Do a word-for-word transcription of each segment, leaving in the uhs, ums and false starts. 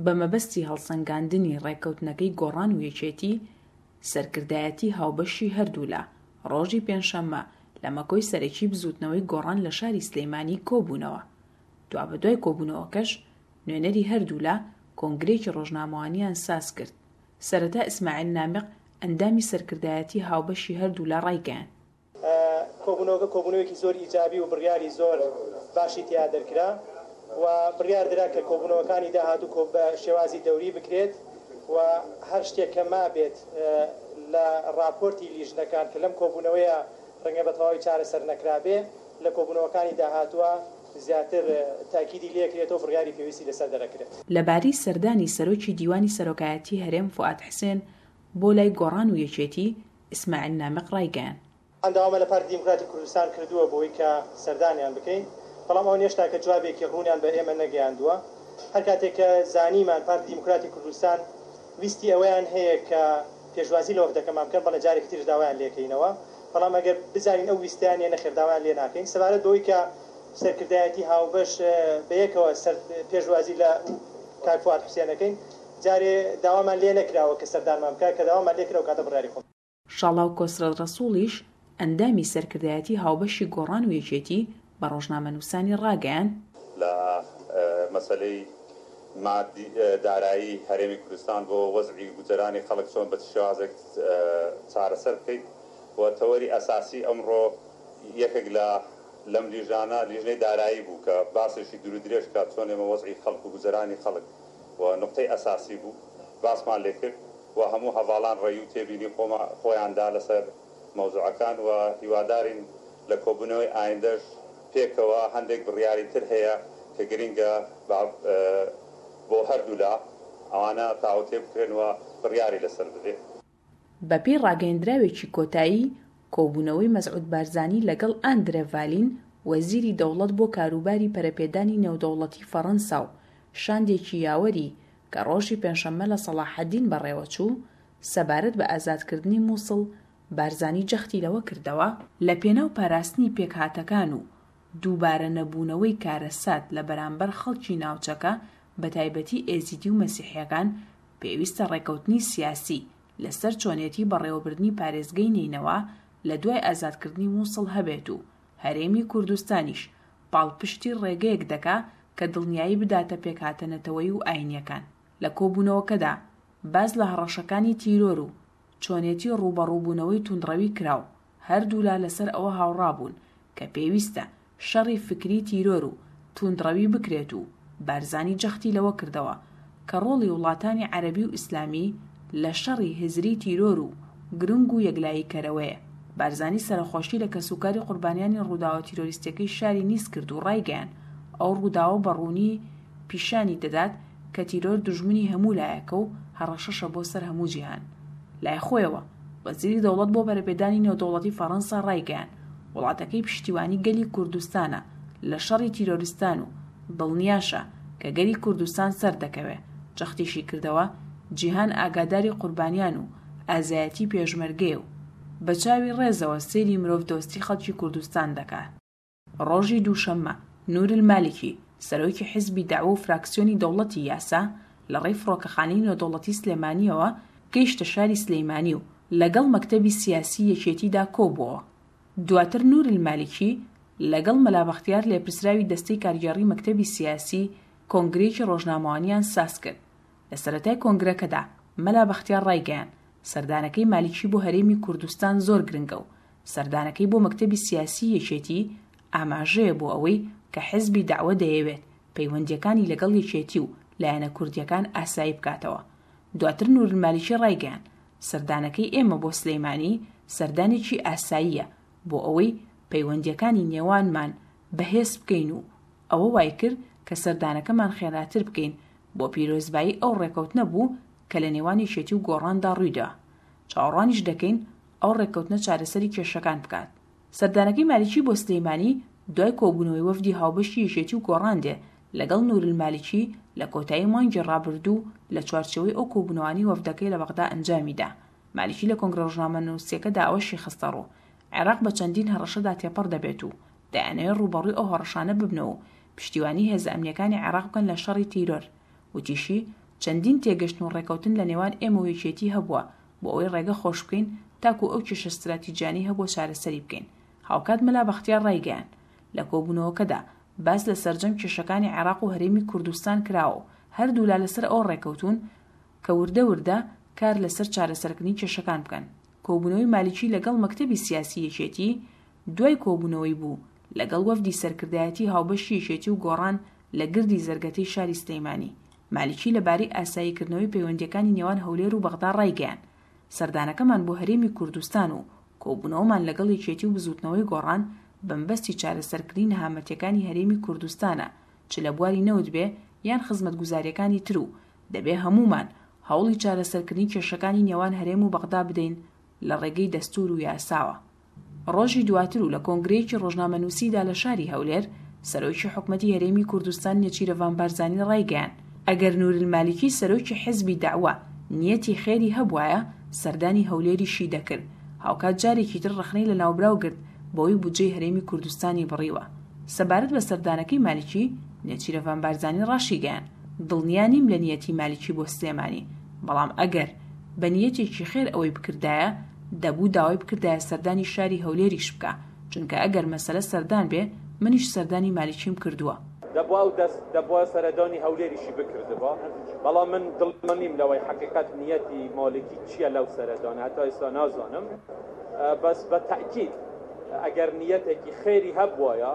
بە مەبەستی هەڵسەنگاندنی ڕێککەوتنەکەی گۆڕان و یەکێتی، سەرکردایەتی هاوبەشی هەردوولا، ڕۆژی پێنجشەممە لە مەکۆی سەرەکی بزووتنەوەی گۆڕان لە شاری سلێمانی کۆبوونەوە. دوابەدوای کۆبوونەوەکەش نوێنەری هەردوولا کۆنگرەیەکی ڕۆژنامەوانیان سازکرد. سەرەتا ئیسماعیل نامیق ئەندامی سەرکردایەتی هاوبەشی هەردوولا ڕایگەیاند. کۆبوونەوەکە کۆبوونەوەیەکی زۆر ئیجابی و بڕیاری زۆر باشی تیا دەرکرا و بڕیار درا کە کۆبوونەوەکانی داهاتوو بە شێوازی دەوری بکرێت و هەر شتێک کە مابێت لە ڕاپۆرتی لیژنەکان کە لەم کۆبوونەوەیە ڕەنگە بە تەواوی چارەسەر نەکرابێ لە کۆبوونەوەکانی داهاتووە زیاتر تاکیدی لێکرێتەوە بڕیاری پێویستی لەسەر دەرەکرێت. لەبارەی سەردانی سەرۆکی دیوانی سەرۆکایەتی هەرێم فوئاد حسێن بۆ لای گۆڕان و یەکێتی، ئیسماعیل نامیق ڕایگەیاند. داوامان لە پارتی دیموکراتی کوردستان کردووە بۆی کە سەردانیان بکەین، بەڵام ئەوان هێشتا کە جوابێکی ڕوونیان بە ئێمە نەگەیاندووە. هەر کاتێک کە زانیمان پارتی دیموکراتی کوردستان ویستی ئەوەیان هەیە کە پێشوازی لە وەفدەکەمان بکەن، بەڵێ جارێکی تریش داوایان لێکەینەوە، بەڵام ئەگەر بزانین ئەو ویستیان نیە نەخێر داوایان لێ ناکەین. سەبارەت بەوەی کە سەرکردایەتی هاوبەش بەیەکەوە پێشوازی لە کاک فوئاد حوسێنەکەین، جارێ داوامان لێ نەکراوە کە سەردانمان بکە، کە داوامان لێ کرا و کاتە بڕیاری خۆم. شاڵاو کۆسرەت ڕەسوڵیش ئەندامی سەرکردایەتی هاوبەشی گۆڕان و یەکێتی بە ڕۆژنامەنووسانی ڕاگەیاند. لە مەسەلەی مادی دارایی هەرێمی کوردستان بۆ وەزعی گوزەرانی خەڵک چۆن بە شێوازێک چارەسەر بکەیت و تەوەری ئەساسی ئەمڕۆ یەکێک لە لەم لیژانە لیژنەی دارایی بوو کە باسێکی دوور درێژ کرا چۆن ئێمە وەزعی خەڵک و گوزەرانی خەڵک و نقطەی ئەساسی بوو باسمان لێکرد و هەموو هەڤاڵان ڕەی و تێبینی خۆیاندا لەسەر مەوزوعەکان و هیوادارین لە کۆبوونەوەی ئایندەش پێکەوە هەندێک بڕیاری تر هەیە کە گرنگە بۆ هەردوولا ئەوانە تاوتێ بکرێن و بڕیاری لەسەر بدرێت. بەپێی ڕاگەیەندراوێکی کۆتایی کۆبوونەوەی مەسعود بارزانی لەگەڵ ئاندرێ ڤالین وەزیری دەوڵەت بۆ کاروباری پەرەپێدانی نێودەوڵەتی فەڕەنسا و شاندێکی یاوەری کە ڕۆژی پێنجشەممە لە سەڵاحەدین بەڕێوەچوو سەبارەت بە ئازادکردنی مووسڵ، بارزانی جەختی لەوە کردەوە لە پێناو پاراستنی پێکهاتەکان و دووبارە نەبوونەوەی کارەسات لە بەرامبەر خەڵکی ناوچەکە بە تایبەتی ئێزیدی و مەسیحیەکان پێویستە ڕێکەوتنی سیاسی لەسەر چۆنێتی بەڕێوەبردنی پارێزگەی نەینەوا لە دوای ئازادکردنی مووسڵ هەبێت و هەرێمی کوردستانیش پاڵپشتی ڕێگەیەک دەکا کە دڵنیایی بداتە پێکهاتە نەتەوەیی و ئاینیەکان. لە کۆبوونەوەکەدا باس لە هەڕەشەکانی تیرۆر و چۆنێتی ڕووبەڕووبوونەوەی توندڕەوی کرا و هەردوولا لەسەر ئەوە هاوڕابوون کە پێویستە شەڕی فکری تیرۆر و توندڕەوی بکرێت و بارزانی جەختی لەوە کردەوە کە ڕۆڵی وڵاتانی عەرەبی و ئیسلامی لە شەڕی هزری تیرۆر و گرنگ و یەکلاییکەرەوەیە. بارزانی سەرەخۆشی لە کەسوکاری قوربانیانی ڕووداوە تیرۆریستیەکەی شاری نیس کرد و ڕایگەیاند ئەو ڕووداوە بە ڕوونی پیشانی دەدات کە تیرۆر دوژمنی هەموو لایەکە و هەڕەشەشە بۆ سەر هەموو جیهان. لای خۆیەوە وەزیری دەوڵەت بۆ پەرەپێدانی نێودەوڵەتی فەڕەنسا ڕایگەیاند وڵاتەکەی پشتیوانی گەلی کوردستانە لە شەڕی تیرۆریستان و دڵنیاشە کە گەلی کوردستان سەر دەکەوێ. جەختیشی کردەوە جیهان ئاگاداری قوربانیان و ئازایەتی پێشمەرگەیە و بە چاوی ڕێزەوە سەیری مرۆڤدۆستی خەڵکی کوردستان دەکات. ڕۆژی دووشەممە نور المالکی سەرۆکی حیزبی دەعوە و فراکسیۆنی دەوڵەتی یاسا لە ڕێی فڕۆکەخانەی نێودەوڵەتی سلێمانیەوە گەیشتە شاری سلەیمانی و لەگەڵ مەکتەبی سیاسی یەکێتیدا کۆبووەوە. دواتر نور المالکی لەگەڵ مەلا بەختیار لێپرسراوی دەستەی کارگێڕی مەکتەبی سیاسی کۆنگرەیەکی ڕۆژنامەوانیان ساز کرد. لە سەرەتای کۆنگرەکەدا مەلا بەختیار ڕایگەیاند سەردانەکەی مالکی بۆ هەرێمی کوردستان زۆر گرنگە و سەردانەکەی بۆ مەکتەبی سیاسی یەکێتی ئاماژەیە بۆ ئەوەی کە حزبی دەعوە دەیەوێت پەیوەندیەکانی لەگەڵ یەکێتی و لایەنە کوردیەکان ئاسایی بکاتەوە. دواتر نور المالکی ڕایگەیاند سەردانەکەی ئێمە بۆ سلەیمانی سەردانێکی ئاساییە بۆ ئەوەی پەیوەندیەکانی نێوانمان بەهێز بکەین و ئەوە وای کرد کە سەردانەکەمان خێراتر بکەین بۆ پیرۆزبایی ئەو ڕێکەوتنە بوو کە لە نێوان یەکێتی و گۆڕاندا ڕوویدا. چاوەڕوانیش دەکەین ئەو ڕێککەوتنە چارەسەری کێشەکان بکات. سەردانەکەی مالکی بۆ سلەیمانی دوای کۆبوونەوەی وەفدی هاوبەشی یەکێتی و گۆڕان دێ لەگەڵ نور المالکی لە کۆتایی مانگی ڕابردوو لە چوارچێوەی ئەو کۆبوونەوانی وەفدەکەی لە بەغدا ئەنجامیدا. مالکی لە کۆنگرە ڕۆژنامەنووسیەکەدا ئەوەشی خستەڕوو عێراق بە چەندین هەڕەشەدا تێپەڕ دەبێت و دەیانەوێت ڕووبەڕووی ئەو هەڕەشانە ببنەوە و پشتیوانی هێزە ئەمنیەکانی عێراق بکەن لە شەڕی تیرۆر. وتیشی چەندین تێگەشتن و ڕێکەوتن لە نێوان ئێمە و یەکێتی هەبووە بۆ ئەوەی ڕێگە خۆش بکەین تاکو ئەو کێشە ستراتیجیانەی هەبووە چارەسەری بکەین. هاوکات مەلا بەختیار ڕایگەیاند، لە کۆبوونەوەکەدا باس لە سەرجەم کێشەکانی عێراق و هەرێمی کوردستان کراوە و هەردوولا لەسەر ئەوە ڕێکەوتوون کە وردە وردە کار لەسەر چارەسەرکردنی کێشەکان بکەن. کۆبوونەوەی مالیکی لەگەڵ مەکتەبی سیاسی یەکێتی دوای کۆبوونەوەی بوو لەگەڵ وەفدی سەرکردایەتی هاوبەشی یەکێتی و گۆڕان لە گردی زەرگەتەی شاری سلەیمانی. مالیکی لەبارەی ئاساییکردنەوەی پەیوەندیەکانی نێوان هەولێر و بەغدا ڕایگەیاند، سەردانەکەمان بۆ هەرێمی کوردستان و کۆبوونەوەمان لەگەڵ یەکێتی و بزووتنەوەی گۆڕان بەمبەستی چارەسەرکردنی نەهامەتیەکانی هەرێمی کوردستانە، چ لە بواری نەوت بێ یان خزمەتگوزاریەکانی تر و دەبێ هەموومان هەوڵی چارەسەرکردنی کێشەکانی نێوان هەرێم و بەغدا بدەین لە ڕێگەی دەستور و یاساوە. ڕۆژی دواتر و لە کۆنگرەیەکی ڕۆژنامەنووسیدا لە شاری هەولێر، سەرۆکی حکومەتی هەرێمی کوردستان نێچیرەڤان بارزانی ڕایگەیاند، ئەگەر نورالمالیکی سەرۆکی حزبی دەعوە نیەتی خێری هەبوایە سەردانی هەولێریشی دەکرد. هاوکات جارێکی تر ڕەخنەی لە ناوبراو گرت بەوەی بودجەی هەرێمی کوردستانی بڕیوە. سەبارەت بە سەردانەکەی مالیکی، نێچیرەڤان بارزانی ڕاشیگەیاند، دڵنیا نیم لە نیەتی مالیکی بۆ سلێمانی، بەڵام ئەگەر بە نیەتێکی خێر ئەوەی بکردایە دەبوو داوای بکردایە سەردانی شاری هەولێریش بکە، چونکە ئەگەر مەسەلە سەردان بێ منیش سەردانی مالیکیم کردووە. دەبوو ئەو دەست دەبووە سەردانی هەولێریشی بکردبا، بەڵام من دڵنیا نیم لەوەی حەقیقەت نیەتی مالکی چییە لەو سەردانە، هەتا ئێستا نازانم. بەس بە تەئکید ئەگەر نیەتێکی خێری هەبوایە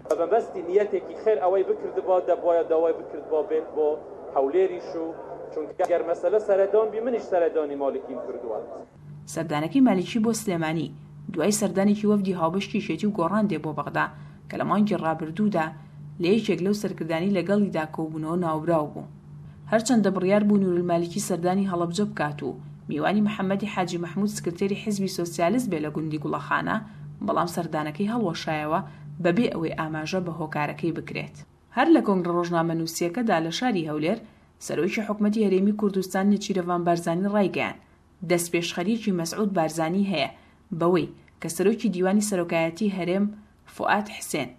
بە مەبەستی نیەتێکی خێر ئەوەی بکردبا دەبوایە داوای بکردبا بێت بۆ هەولێریش و چونکە ئەگەر مەسەلە سەردان بی منیش سەردانی مالکیم کردووە. سەردانەکەی مالیکی بۆ سلێمانی دوای سەردانێکی وەفدی هاوبەشی یەکێتی و گۆڕان دێ بۆ بەغدا کە لە مانگی ڕابردوودا لە یەکێک لەو سەرکردانی لەگەڵیدا کۆبوونەوە ناوبراو بوو. هەرچەندە بڕیار بوو نورالمالیکی سەردانی هەڵەبجە بکات و میوانی محەممەدی حاجی مەحمود سکرتێری حیزبی سۆسیالیست بێ لە گوندی گوڵەخانە، بەڵام سەردانەکەی هەڵوەشایەوە بەبێ ئەوەی ئاماژە بە هۆکارەکەی بکرێت. هەر لە کۆنگرە ڕۆژنامەنووسیەکەدا لە شاری هەولێر، سەرۆکی حکومەتی هەرێمی کوردستان نێچیرەڤان بارزانی ڕایگەیاند، دەستپێشخەریەکی مەسعود بارزانی هەیە بەوەی کە سەرۆکی دیوانی سەرۆکایەتی هەرێم فوئاد حسێن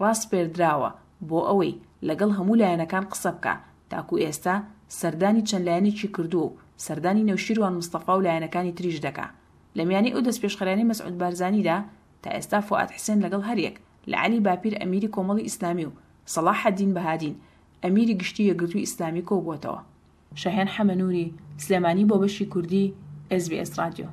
ڕاسپێردراوە بۆ ئەوەی لەگەڵ هەموو لایەنەکان قسە بکە، تاکو ئێستا سەردانی چەند لایەنێکی کردووە و سەردانی نەوشیروان مستەفا و لایەنەکانی تریش دەکا. لە میانەی ئەو دەستپێشخەریانەی مەسعود بارزانیدا تا ئێستا فوئاد حسێن لەگەڵ هەریەک لە عەلی باپیر ئەمیری کۆمەڵی ئیسلامی و سەڵاحەدین بەهادین ئەمیری گشتی یەکگرتووی ئیسلامی کۆبووەتەوە. شەهێن حەمەنووری، سلێمانی بۆ بەشی کوردی ئێس بی ئێس ڕادیۆ.